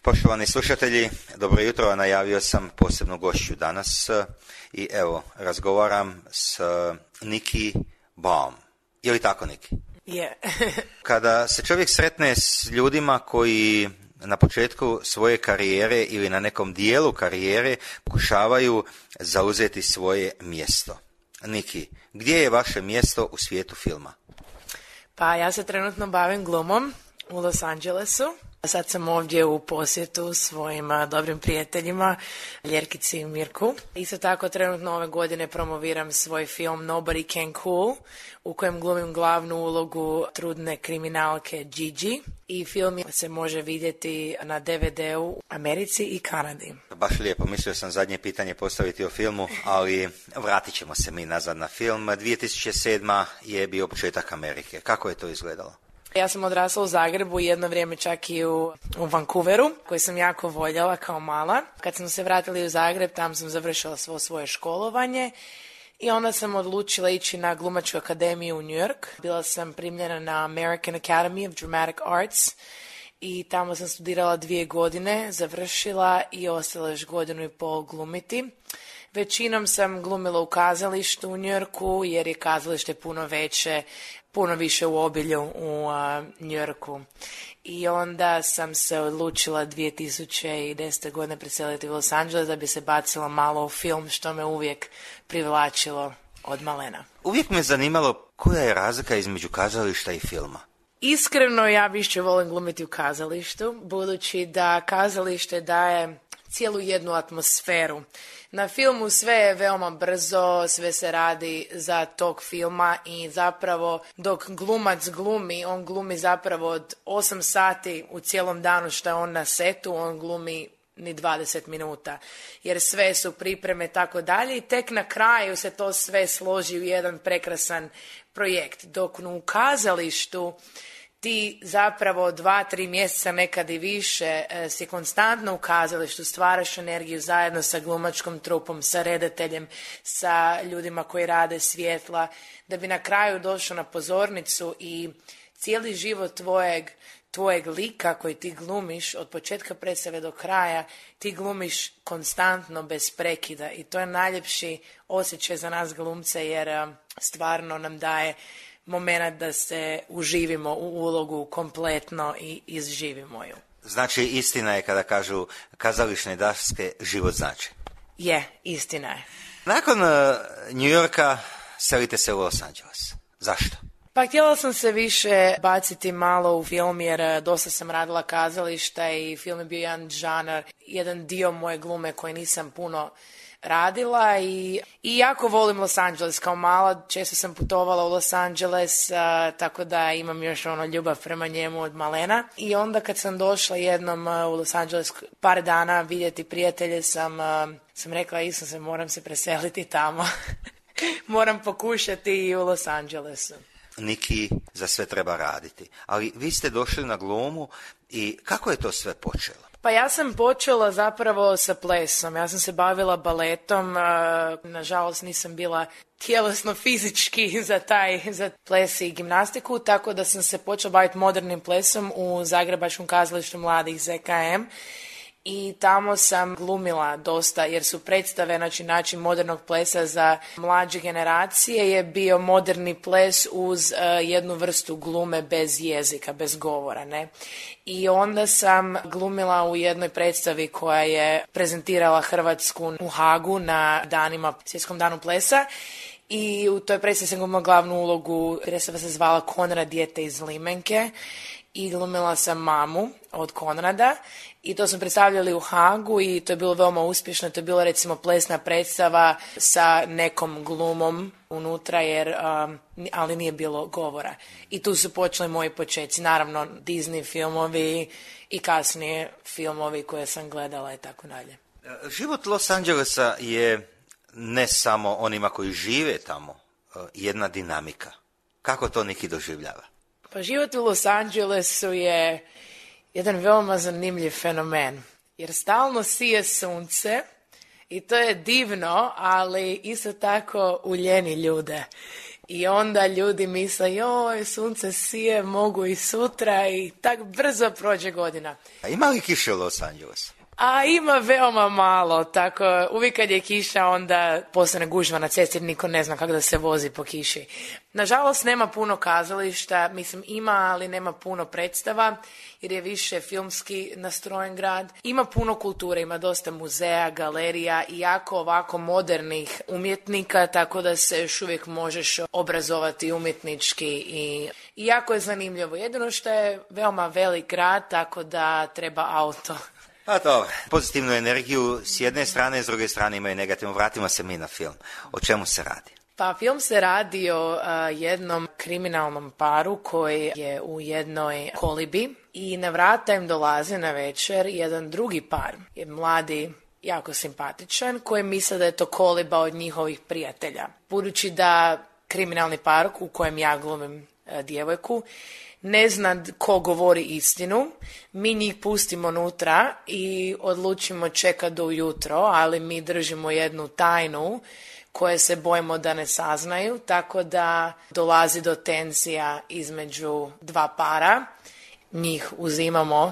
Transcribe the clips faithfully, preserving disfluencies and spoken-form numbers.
Poštovani slušatelji, dobro jutro, najavio sam posebnu gošću danas i evo, razgovaram s Nikki Baum. Je li tako, Nikki? Je. Kada se čovjek sretne s ljudima koji na početku svoje karijere ili na nekom dijelu karijere pokušavaju zauzeti svoje mjesto. Nikki, gdje je vaše mjesto u svijetu filma? Pa ja se trenutno bavim glumom u Los Angelesu. Sad sam ovdje u posjetu svojim dobrim prijateljima, Ljerkici i Mirku. Isto tako trenutno ove godine promoviram svoj film Nobody Can Cool, u kojem glumim glavnu ulogu trudne kriminalke Gigi. I film se može vidjeti na D V D-u u Americi i Kanadi. Baš lijepo, mislio sam zadnje pitanje postaviti o filmu, ali vratit ćemo se mi nazad na film. dvije tisuće sedma je bio početak Amerike. Kako je to izgledalo? Ja sam odrasla u Zagrebu, jedno vrijeme čak i u, u Vancouveru, koji sam jako voljela kao mala. Kad smo se vratili u Zagreb, tam sam završila svo svoje školovanje i onda sam odlučila ići na glumačku akademiju u New York. Bila sam primljena na American Academy of Dramatic Arts i tamo sam studirala dvije godine, završila i ostala još godinu i pol glumiti. Većinom sam glumila u kazalištu u New Yorku jer je kazalište puno veće, puno više u obilju u uh, New Yorku. I onda sam se odlučila dvije tisuće desete. godine preseliti u Los Angeles da bi se bacila malo u film, što me uvijek privlačilo od malena. Uvijek me zanimalo koja je razlika između kazališta i filma. Iskreno ja više volim glumiti u kazalištu, budući da kazalište daje cijelu jednu atmosferu. Na filmu sve je veoma brzo, sve se radi za tog filma i zapravo dok glumac glumi, on glumi zapravo od osam sati u cijelom danu što je on na setu, on glumi ni dvadeset minuta, jer sve su pripreme tako dalje i tek na kraju se to sve složi u jedan prekrasan projekt. Dok u kazalištu ti zapravo dva, tri mjeseca, nekad i više, si konstantno u kazalištu, stvaraš energiju zajedno sa glumačkom trupom, sa redateljem, sa ljudima koji rade svjetla, da bi na kraju došao na pozornicu i cijeli život tvojeg, tvojeg lika koji ti glumiš od početka predstave do kraja, ti glumiš konstantno bez prekida i to je najljepši osjećaj za nas glumce jer stvarno nam daje moment da se uživimo u ulogu kompletno i izživimo ju. Znači, istina je kada kažu kazališne daske život znači. Je, istina je. Nakon uh, New Yorka selite se u Los Angeles. Zašto? Pa htjela sam se više baciti malo u film jer dosta sam radila kazališta i film je bio jedan žanar, jedan dio moje glume koji nisam puno radila i, i jako volim Los Angeles. Kao mala često sam putovala u Los Angeles, a, tako da imam još ono ljubav prema njemu od malena. I onda kad sam došla jednom a, u Los Angeles par dana vidjeti prijatelje sam, a, sam rekla isto se moram se preseliti tamo. Moram pokušati i u Los Angelesu. Nikki, za sve treba raditi. Ali vi ste došli na glumu i kako je to sve počelo? Pa ja sam počela zapravo sa plesom. Ja sam se bavila baletom. Nažalost nisam bila tjelesno fizički za taj za ples i gimnastiku, tako da sam se počela baviti modernim plesom u Zagrebačkom kazalištu mladih Z K M. I tamo sam glumila dosta jer su predstave, znači način modernog plesa za mlađe generacije je bio moderni ples uz uh, jednu vrstu glume bez jezika, bez govora, ne. I onda sam glumila u jednoj predstavi koja je prezentirala Hrvatsku u Hagu na danima, svjetskom danu plesa. I u toj predstavi sam glumila glavnu ulogu, predstava se zvala Konrad, dijete iz Limenke. I glumila sam mamu od Konrada i to smo predstavljali u Hagu i to je bilo veoma uspješno. To je bila recimo plesna predstava sa nekom glumom unutra, jer, um, ali nije bilo govora. I tu su počeli moji počeci. Naravno, Disney filmovi i kasnije filmovi koje sam gledala i tako dalje. Život Los Angelesa je ne samo onima koji žive tamo, jedna dinamika. Kako to Nikki doživljava? Pa život u Los Angelesu je jedan veoma zanimljiv fenomen, jer stalno sije sunce i to je divno, ali isto tako uljeni ljude. I onda ljudi misle, joj, sunce sije, mogu i sutra i tak brzo prođe godina. A ima li kiše u Los Angelesu? A ima veoma malo, tako uvijek kad je kiša onda postane gužva na cesti, niko ne zna kako da se vozi po kiši. Nažalost nema puno kazališta, mislim ima, ali nema puno predstava jer je više filmski nastrojen grad. Ima puno kulture, ima dosta muzeja, galerija i jako ovako modernih umjetnika, tako da se još uvijek možeš obrazovati umjetnički i, i jako je zanimljivo. Jedino što je veoma velik grad, tako da treba auto. Pa dobro, pozitivnu energiju s jedne strane, s druge strane imaju negativno. Vratimo se mi na film. O čemu se radi? Pa film se radi o uh, jednom kriminalnom paru koji je u jednoj kolibi i na vrata im dolazi na večer jedan drugi par. Je mladi, jako simpatičan, koji misle da je to koliba od njihovih prijatelja. Budući da kriminalni par u kojem ja glumim uh, djevojku ne zna ko govori istinu, mi njih pustimo unutra i odlučimo čekati do ujutro, ali mi držimo jednu tajnu koje se bojimo da ne saznaju, tako da dolazi do tenzija između dva para, njih uzimamo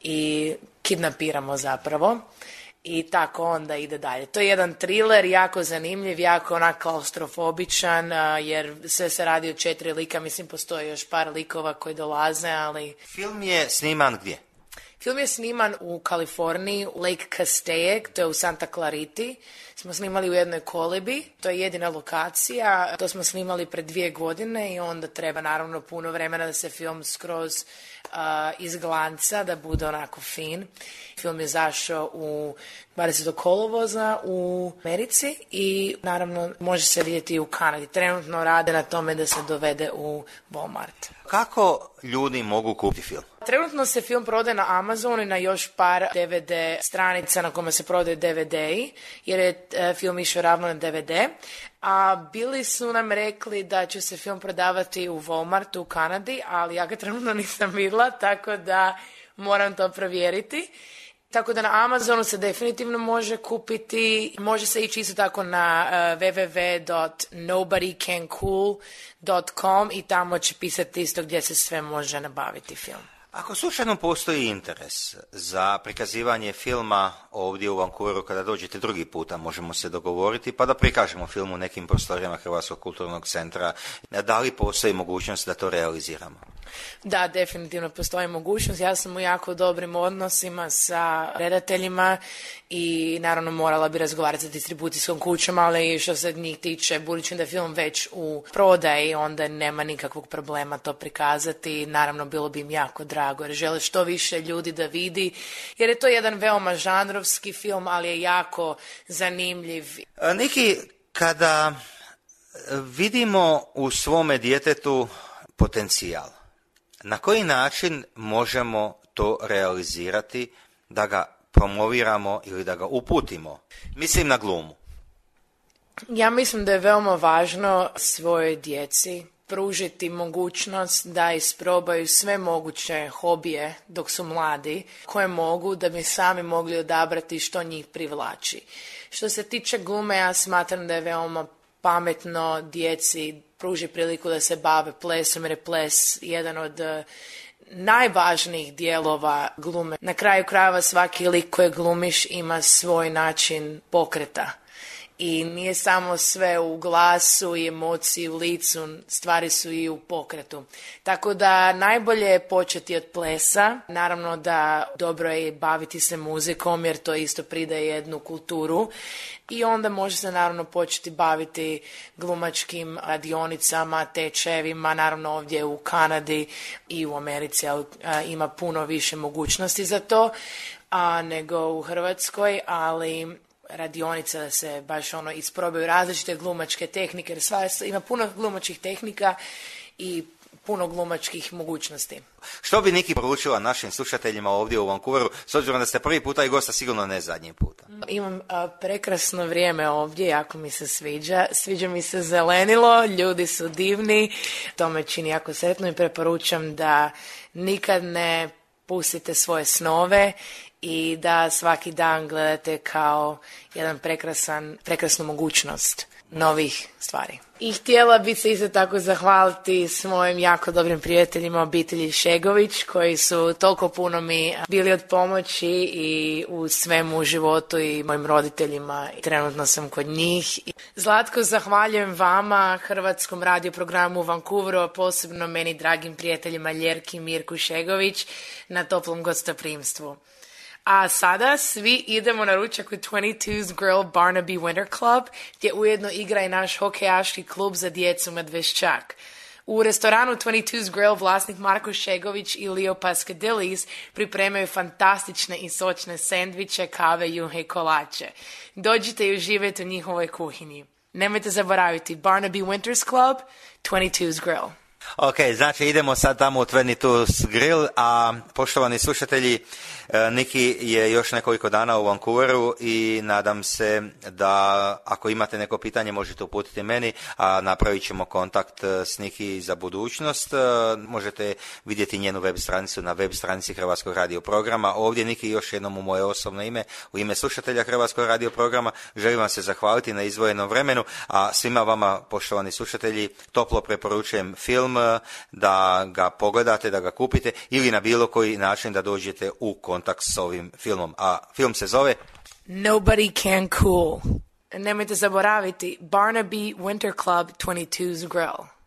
i kidnapiramo zapravo. I tako onda ide dalje. To je jedan thriller, jako zanimljiv, jako onak klaustrofobičan, jer sve se radi o četiri lika, mislim postoji još par likova koji dolaze, ali... Film je sniman gdje? Film je sniman u Kaliforniji, u Lake Castaic, to je u Santa Clariti. Smo snimali u jednoj kolibi, to je jedina lokacija, to smo snimali pred dvije godine i onda treba naravno puno vremena da se film skroz uh, izglanca, da bude onako fin. Film je zašao u dvadesetog kolovoza u Americi i naravno može se vidjeti i u Kanadi. Trenutno rade na tome da se dovede u Walmart. Kako ljudi mogu kupiti film? Trenutno se film prodaje na Amazonu i na još par D V D stranica na kojima se prodaju D V D-i, jer je e, film išao ravno na D V D. A bili su nam rekli da će se film prodavati u Walmartu u Kanadi, ali ja ga trenutno nisam vidjela, tako da moram to provjeriti. Tako da na Amazonu se definitivno može kupiti, može se ići isto tako na uh, w w w dot nobody can cool dot com i tamo će pisati isto gdje se sve može nabaviti film. Ako slučajno postoji interes za prikazivanje filma ovdje u Vancouveru, kada dođete drugi puta, možemo se dogovoriti pa da prikažemo film u nekim prostorijama Hrvatskog kulturnog centra. Da li postoji mogućnost da to realiziramo? Da, definitivno postoji mogućnost. Ja sam u jako dobrim odnosima sa redateljima i naravno morala bi razgovarati sa distribucijskom kućom, ali što se njih tiče, budući da je film već u prodaji, onda nema nikakvog problema to prikazati. Naravno, bilo bi im jako drago jer žele što više ljudi da vidi, jer je to jedan veoma žanrovski film, ali je jako zanimljiv. Niki, kada vidimo u svome djetetu potencijal, na koji način možemo to realizirati da ga promoviramo ili da ga uputimo? Mislim na glumu. Ja mislim da je veoma važno svojoj djeci pružiti mogućnost da isprobaju sve moguće hobije dok su mladi, koje mogu da bi sami mogli odabrati što njih privlači. Što se tiče glume, ja smatram da je veoma pametno djeci pruži priliku da se bave plesom, jer je ples jedan od uh, najvažnijih dijelova glume. Na kraju krajeva svaki lik koji glumiš ima svoj način pokreta. I nije samo sve u glasu i emociji u licu, stvari su i u pokretu. Tako da najbolje je početi od plesa. Naravno da dobro je baviti se muzikom jer to isto pridaje jednu kulturu. I onda može se naravno početi baviti glumačkim radionicama, tečajevima, naravno ovdje u Kanadi i u Americi a, ima puno više mogućnosti za to a, nego u Hrvatskoj, ali radionica da se baš ono isprobaju različite glumačke tehnike, jer sva, ima puno glumačkih tehnika i puno glumačkih mogućnosti. Što bi Niki poručila našim slušateljima ovdje u Vancouveru, s obzirom da ste prvi puta i gosta, sigurno ne zadnji puta? Imam a, prekrasno vrijeme ovdje, jako mi se sviđa. Sviđa mi se zelenilo, ljudi su divni, to me čini jako sretno i preporučam da nikad ne pustite svoje snove i da svaki dan gledate kao jedan prekrasan, prekrasnu mogućnost. novih stvari. I htjela bi se isto tako zahvaliti s mojim jako dobrim prijateljima obitelji Šegović koji su toliko puno mi bili od pomoći i u svemu u životu i mojim roditeljima. Trenutno sam kod njih. Zlatko, zahvaljujem vama, Hrvatskom radio programu u Vancouveru, a posebno meni dragim prijateljima Ljerki i Mirku Šegović na toplom gostoprimstvu. A sada svi idemo na ručak u dvadeset dvo's Grill Barnaby Winter Club, gdje ujedno igra i naš hokejaški klub za djecu Medveščak. U restoranu dvadeset dvo's Grill vlasnik Marko Šegović i Leo Paskadilis pripremaju fantastične i sočne sendviče, kave, juhe i kolače. Dođite i uživajte u njihovoj kuhinji. Nemojte zaboraviti Barnaby Winters Club, dvadeset dvo's Grill. Ok, znači idemo sad tamo u dvadeset dvo's Grill, a poštovani slušatelji, Niki je još nekoliko dana u Vancouveru i nadam se da ako imate neko pitanje možete uputiti meni, a napravit ćemo kontakt s Niki za budućnost. Možete vidjeti njenu web stranicu na web stranici Hrvatskog radio programa. Ovdje Niki još jednom u moje osobno ime, u ime slušatelja Hrvatskog radio programa, želim vam se zahvaliti na izdvojenom vremenu, a svima vama poštovani slušatelji toplo preporučujem film da ga pogledate, da ga kupite ili na bilo koji način da dođete u kontakt s ovim filmom. A film se zove Nobody Can Cool. Nemojte zaboraviti Barnaby Winter Club, dvadeset dvo's Grill.